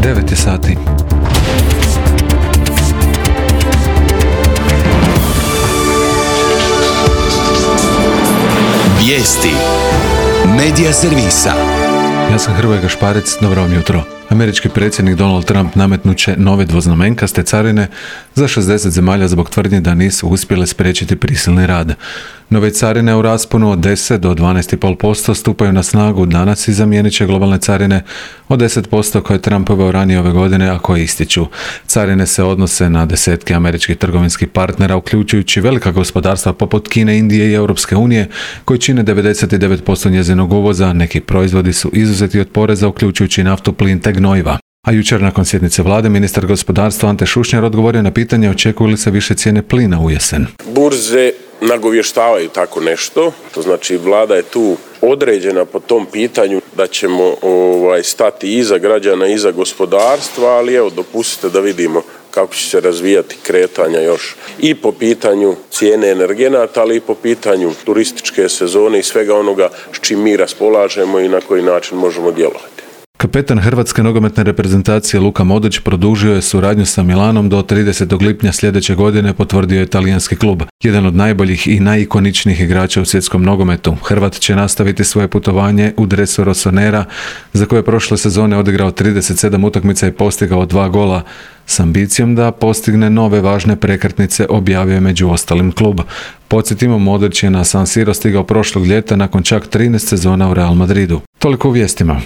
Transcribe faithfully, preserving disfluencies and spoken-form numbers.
devet je sati. Vijesti Medija servisa. Ja sam Hrvoje Gašparec, dobro vam jutro. Američki predsjednik Donald Trump nametnut će nove dvoznamenkaste carine za šezdeset zemalja zbog tvrdnje da nisu uspjele spriječiti prisilni rad. Nove carine u rasponu od deset do dvanaest zarez pet posto stupaju na snagu danas i zamijenit će globalne carine od deset posto koje je Trump uveo ranije ove godine, a koje ističu. Carine se odnose na desetke američkih trgovinskih partnera, uključujući velika gospodarstva poput Kine, Indije i Europske unije, koji čine devedeset devet posto njezinog uvoza. Neki proizvodi su izuzeti od poreza, uključujući naftu, plin te gnojiva. A jučer nakon sjednice vlade ministar gospodarstva Ante Šušnjar odgovorio na pitanje očekuju li se više cijene plina u jesen. Burze nagovještavaju tako nešto, to znači vlada je tu određena po tom pitanju da ćemo ovaj, stati iza građana, iza gospodarstva, ali evo dopustite da vidimo kako će se razvijati kretanja još i po pitanju cijene energenata, ali i po pitanju turističke sezone i svega onoga s čim mi raspolažemo i na koji način možemo djelovati. Kapetan hrvatske nogometne reprezentacije Luka Modrić produžio je suradnju sa Milanom do tridesetog lipnja sljedeće godine, potvrdio je talijanski klub. Jedan od najboljih i najikoničnijih igrača u svjetskom nogometu. Hrvat će nastaviti svoje putovanje u dresu Rossonera, za koje je prošle sezone odigrao trideset sedam utakmica i postigao dva gola, s ambicijom da postigne nove važne prekretnice, objavio je među ostalim klub. Podsjetimo, Modrić je na San Siro stigao prošlog ljeta nakon čak trinaest sezona u Real Madridu. Toliko u vijestima.